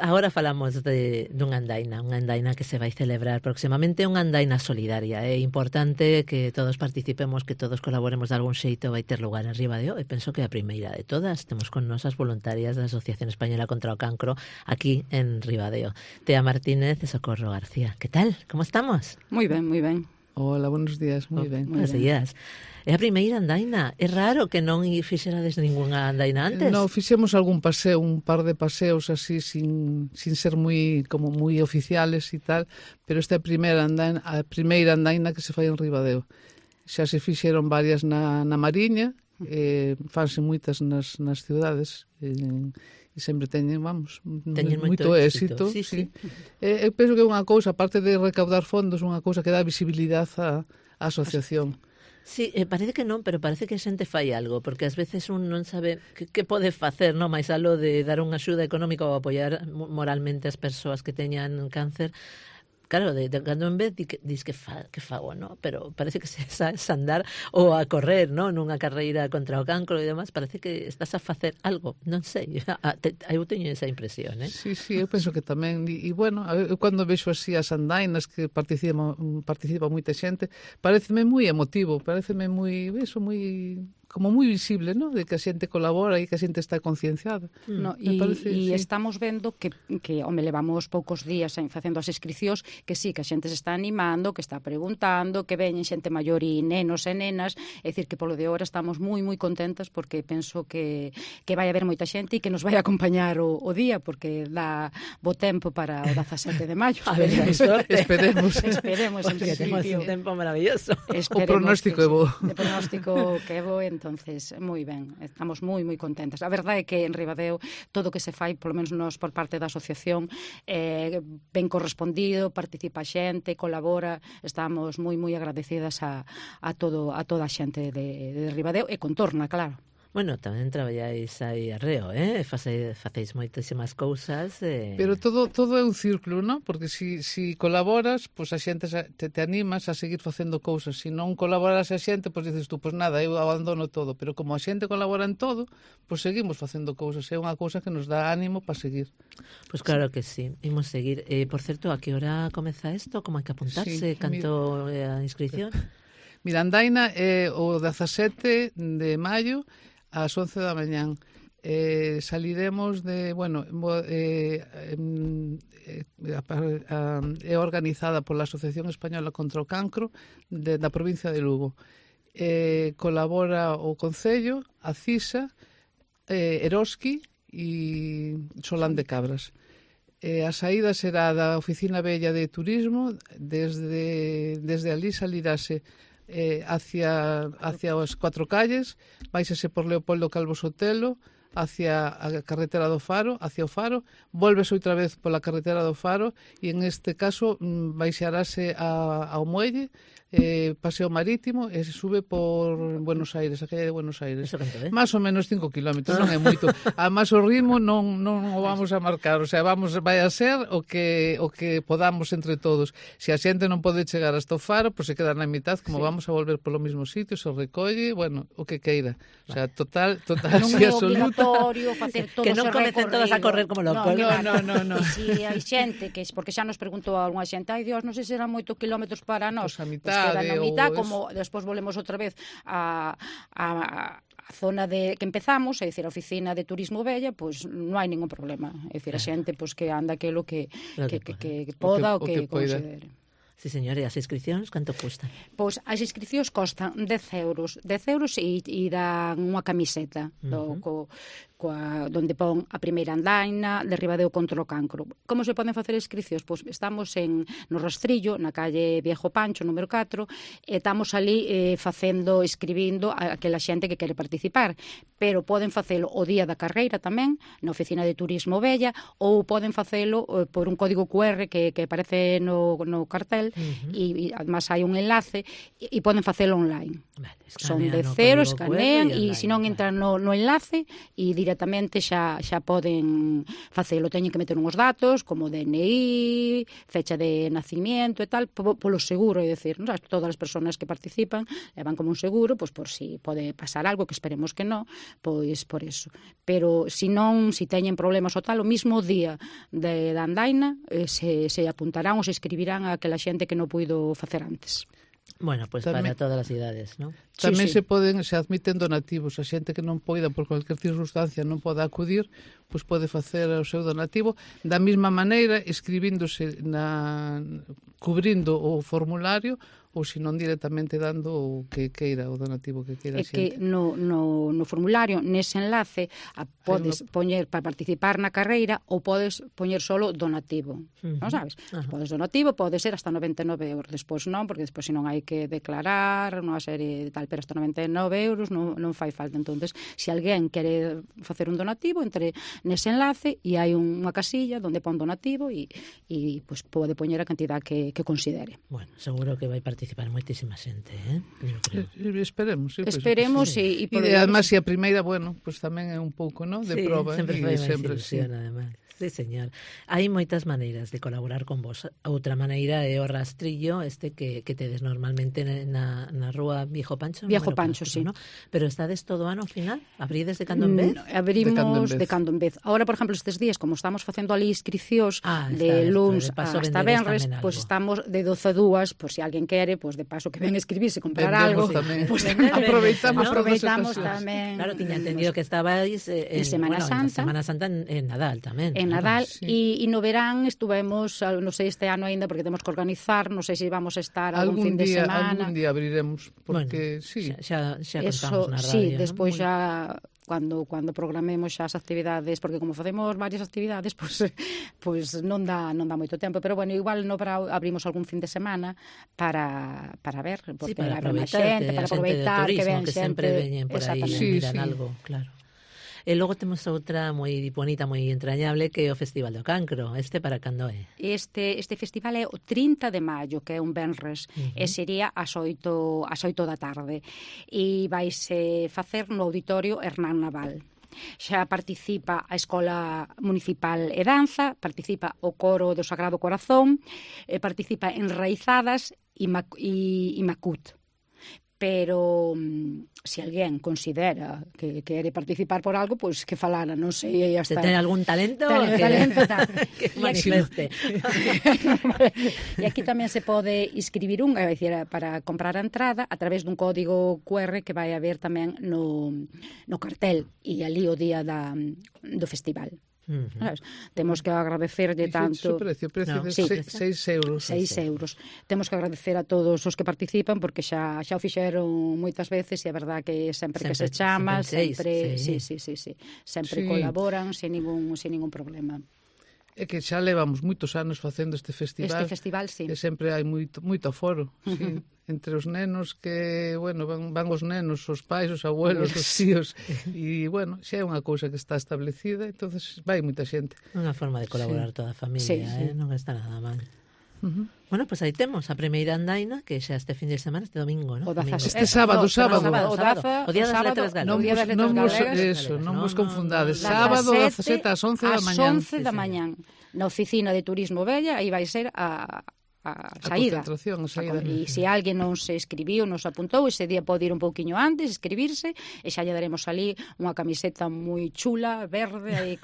Agora falamos dunha andaina que se vai celebrar próximamente, unha andaina solidaria. É importante que todos participemos, que todos colaboremos de algún xeito, vai ter lugar en Ribadeo, e penso que a primeira de todas. Temos con nos as voluntarias da Asociación Española contra o Cancro aquí en Ribadeo. Tea Martínez e Socorro García. Que tal? Como estamos? Moi ben, moi ben. Hola, buenos días, moi ben. Buenos días. É a primeira andaina. É raro que non fixerades ningunha andaina antes. No, fixemos algún paseo, un par de paseos así sin ser moi oficiales e tal, pero esta é a primeira andaina que se fai en Ribadeo. Xa se fixeron varias na Mariña, fanse moitas nas cidades, e sempre teñen moito éxito. Sí. Eu penso que é unha cousa, aparte de recaudar fondos, unha cousa que dá visibilidade á asociación. Sí, parece que non, pero parece que a xente fai algo, porque ás veces un non sabe que pode facer, non máis aló de dar unha axuda económica ou apoiar moralmente as persoas que teñan cáncer. Claro, de cando en vez dis que fago, non? Pero parece que se sabes andar ou a correr, non? Nunha carreira contra o cancro e demais, parece que estás a facer algo, non sei. Eu teño esa impresión, Sí, eu penso que tamén. E bueno, eu cando vexo así as andainas que participa moita xente, pareceme moi emotivo, pareceme como moi visible, ¿no? De que a xente colabora e que a xente está concienciada. E estamos vendo que levamos poucos días facendo as inscricións, que sí, que a xente se está animando, que está preguntando, que veñen xente maior e nenos e nenas, é dicir, que polo de hora estamos moi contentas, porque penso que vai haber moita xente e que nos vai acompañar o día, porque dá bo tempo para o 17 de maio. A ver, Esperemos. Porque temos un tempo maravilloso. O pronóstico é bo. O pronóstico que é bo, entonces, moi ben, estamos moi contentas. A verdade é que en Ribadeo todo o que se fai, polo menos nos por parte da asociación, ben correspondido, participa a xente, colabora, estamos moi agradecidas a toda a xente de Ribadeo e contorna, claro. Bueno, tamén traballáis aí arreo, facéis moitísimas cousas. Pero todo é un círculo, non? Porque si colaboras, pois a xente te animas a seguir facendo cousas. Se non colaboras a xente, pois dices tú, pois nada, eu abandono todo. Pero como a xente colabora en todo, pois seguimos facendo cousas. É unha cousa que nos dá ánimo para seguir. Pois claro que sí, imos seguir. Por certo, a que hora comeza isto? Como hai que apuntarse? Canto a inscripción? Mira, andaina é o 17 de maio, ás 11 da mañán. Saliremos é organizada pola Asociación Española contra o Cancro da provincia de Lugo. Colabora o Concello, a CISA, Eroski e Solán de Cabras. A saída será da Oficina Vella de Turismo, desde ali salirase hacia as 4 calles, vaisese por Leopoldo Calvo Sotelo, hacia a carretera do Faro, hacia o Faro, volves outra vez pola carretera do Faro e en este caso baixarase ao muelle, paseo marítimo e se sube por Buenos Aires, a calle de Buenos Aires. Más ou menos 5 kilómetros, non é moito. Además o ritmo non o vamos a marcar, o sea, vai a ser o que podamos entre todos. Se a xente non pode chegar hasta o Faro, pois se queda na mitad, como vamos a volver polo mesmo sitio, se recolle, bueno, o que queira. O sea, total, non é obligatorio facer todos que non comecen todos a correr como locos. No. E se hai xente que, porque xa nos preguntou algunha xente, ai Dios, non sei se serán moitos kilómetros para nós. Pois a mitad, queda na mitad, como despois volvemos outra vez a zona que empezamos, é dicir, a oficina de turismo Vella, pois non hai ningún problema. É dicir, a xente pois que anda aquilo que poda ou que considere. Sí, señor, e as inscripcións canto custan? Pois as inscripcións costan 10 euros e dan unha camiseta donde pon a primeira andaina de Ribadeo contra o Cancro. Como se poden facer inscripcións? Pois estamos no Rastrillo, na calle Viejo Pancho, número 4, e estamos ali escribindo a aquela xente que quere participar, pero poden facelo o día da carreira tamén, na oficina de turismo Vella, ou poden facelo por un código QR que aparece no cartel, e además hai un enlace, e poden facelo online. Son de cero, escanean, e se non entran no enlace e directamente directamente xa poden facelo, teñen que meter uns datos como DNI, fecha de nacimiento e tal, polo seguro, é dicir, non? Todas as persoas que participan levan como un seguro, pois por si pode pasar algo, que esperemos que non, pois por eso. Pero se non, se teñen problemas o tal, o mismo día da andaina se apuntarán ou se escribirán a aquela xente que non puido facer antes. Bueno, pues para todas as idades, ¿no? Tamén se admiten donativos. A xente que non poida, por cualquier circunstancia, non poda acudir, pois pode facer o seu donativo da mesma maneira, escribíndose cubrindo o formulario, ou se non directamente dando o que queira, o donativo que queira a xente. É que no formulario, nese enlace, podes poñer para participar na carreira ou podes poñer solo donativo, non sabes? Podes donativo, pode ser hasta 99 euros, despois non, porque despois senón hai que declarar unha serie de tal, pero hasta 99 euros non fai falta. Entonces, se alguén quere facer un donativo, entre nese enlace e hai unha casilla onde pon donativo e pues, pode poñer a cantidad que considere. Bueno, seguro que vai participar moitísima xente, Esperemos, sí. Esperemos e además, se a primeira, bueno, pues tamén é un pouco, ¿no?, de proba. Sempre fai máis ilusión, además. Sí, señor. Hai moitas maneiras de colaborar con vos. Outra maneira é o rastrillo que tedes normalmente na rúa Viejo Pancho. Viejo Pancho, sí. ¿no? Pero estades todo ano ao final? Abrides de cando en vez? Abrimos de cando en vez. Ahora, por exemplo, estes días, como estamos facendo ali inscricións de luns hasta venres, pues estamos de 12 a 2, por si alguén quere, pues de paso que ven escribirse, comprar algo. Pues aproveitamos tamén. Claro, tiña entendido que estabais en Semana Santa. En Semana Santa en Nadal tamén. En Nadal, e no verán estuvemos, non sei este ano aínda, porque temos que organizar, non sei se vamos a estar algún fin de semana. Algún día abriremos, porque xa contamos na radio. Sí, despois xa cando programemos xa as actividades, porque como facemos varias actividades, pues non dá moito tempo, pero bueno, igual no abrimos algún fin de semana para ver, porque para haber máis xente, para aproveitar que ven xente, sempre veñen por aí, miran algo, claro. E logo temos outra moi bonita, moi entrañable, que é o Festival do Cancro. Para cando é? Este festival é o 30 de maio, que é un venres, e sería ás 8 da tarde. E vaise facer no Auditorio Hernán Naval. Xa participa a Escola Municipal e Danza, participa o Coro do Sagrado Corazón, participa Enraizadas e Macut. Pero se alguén considera que quere participar por algo, pois que falara, non sei, hasta... Se ten algún talento, que manifeste. E aquí tamén se pode inscribir para comprar a entrada a través dun código QR que vai haber tamén no cartel e ali o día do festival. Temos que agradecerlle tanto... O precio de 6 euros. 6 euros. Temos que agradecer a todos os que participan, porque xa o fixeron moitas veces e a verdad que sempre que se chama, sempre colaboran sen ningún problema. É que xa levamos moitos anos facendo este festival. Este festival, sí. E sempre hai moito aforo, sí. Entre os nenos que, bueno, van os nenos, os pais, os abuelos, os tíos, e, bueno, xa é unha cousa que está establecida, entonces vai moita xente. Unha forma de colaborar toda a familia, non está nada mal. Bueno, pues aí temos a primeira andaina, que xa este fin de semana, este domingo, ¿no? Este sábado. O Día das Letras Galegas. Non vos confundades. Sábado, 17 ás 11 da mañán. Ás 11 da mañán. Na oficina de Turismo Bella, aí vai ser a saída. E se alguén non se escribiu, non se apuntou, ese día pode ir un pouquiño antes, escribirse, e xa lle daremos ali unha camiseta moi chula, verde, aí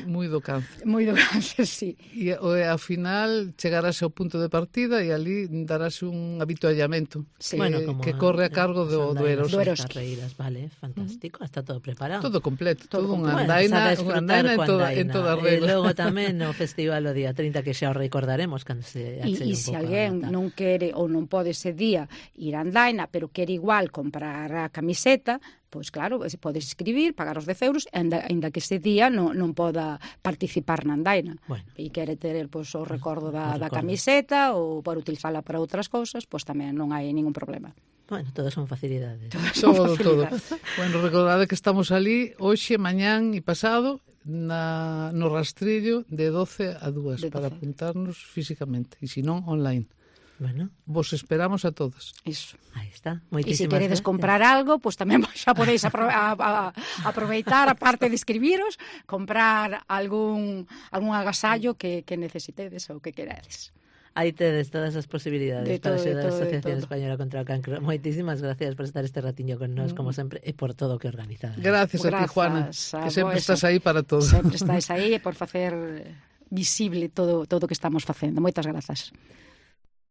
moi do cáncer. Moi do cáncer, sí. E ao final chegarase ao punto de partida e ali darase un habituallamento que corre a cargo do Eroski. Vale, fantástico, está todo preparado. Todo completo, todo unha andaina en toda regla. E logo tamén o festival o día 30, que xa o recordaremos. E se alguén non quere ou non pode ese día ir a andaina, pero quere igual comprar a camiseta, pois claro, podes escribir, pagar os 10 euros, ainda que ese día non poda participar na andaina. E quere ter o recordo da camiseta ou para utilizala para outras cousas, pois tamén non hai ningún problema. Bueno, todas son facilidades. Todo. Bueno, recordade que estamos ali hoxe, mañán e pasado no rastrillo de 12 a 2 para apuntarnos físicamente, e se non, online. Bueno, Vos esperamos a todos. Iso. aí está. E se Moitísimas queredes gracias. comprar algo, pois tamén xa podeis aproveitar, aparte de escribiros, comprar algún agasallo que necesitedes ou que querades. Aí tedes todas as posibilidades De para todo, axudar a de Asociación todo. Española contra o Cancro. Moitísimas gracias por estar este ratiño con nós, como sempre, e por todo o que organizades. Gracias a ti, Juana, Grazas a que sempre vos. estás aí para todo. Sempre estáis aí por facer visible todo o que estamos facendo. Moitas grazas.